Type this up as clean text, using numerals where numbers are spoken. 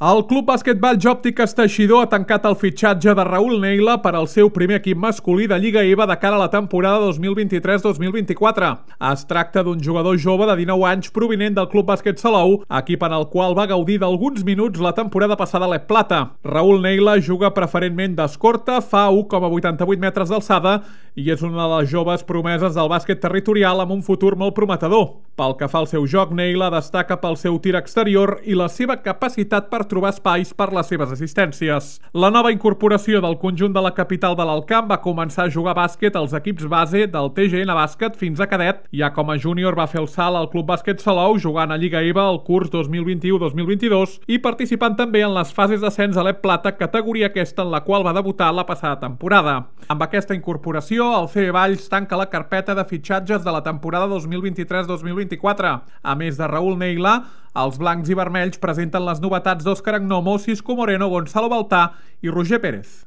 El Club Bàsquet Òptiques Teixidor ha tancat el fitxatge de Raül Neila per al seu primer equip masculí de Lliga EVA de cara a la temporada 2023-2024. Es tracta d'un jugador jove de 19 anys provinent del Club Bàsquet Salou, equip en el qual va gaudir d'alguns minuts la temporada passada a l'Ep Plata. Raül Neila juga preferentment d'escorta, fa 1,88 metres d'alçada i és una de les joves promeses del bàsquet territorial amb un futur molt prometedor. Pel que fa al seu joc, Neila destaca pel seu tir exterior i la seva capacitat per trobar espais per les seves assistències. La nova incorporació del conjunt de la capital de l'Alcamp va començar a jugar bàsquet als equips base del TGN Bàsquet fins a cadet. Ja com a júnior va fer el salt al Club Bàsquet Salou jugant a Lliga EVA el curs 2021-2022 i participant també en les fases d'ascens a l'Ep Plata, categoria aquesta en la qual va debutar la passada temporada. Amb aquesta incorporació, el CB Valls tanca la carpeta de fitxatges de la temporada 2023-2024. A més de Raül Neila, els blancs i vermells presenten les novetats d'Òscar Agnomo, Cisco Moreno, Gonzalo Baltà i Roger Pérez.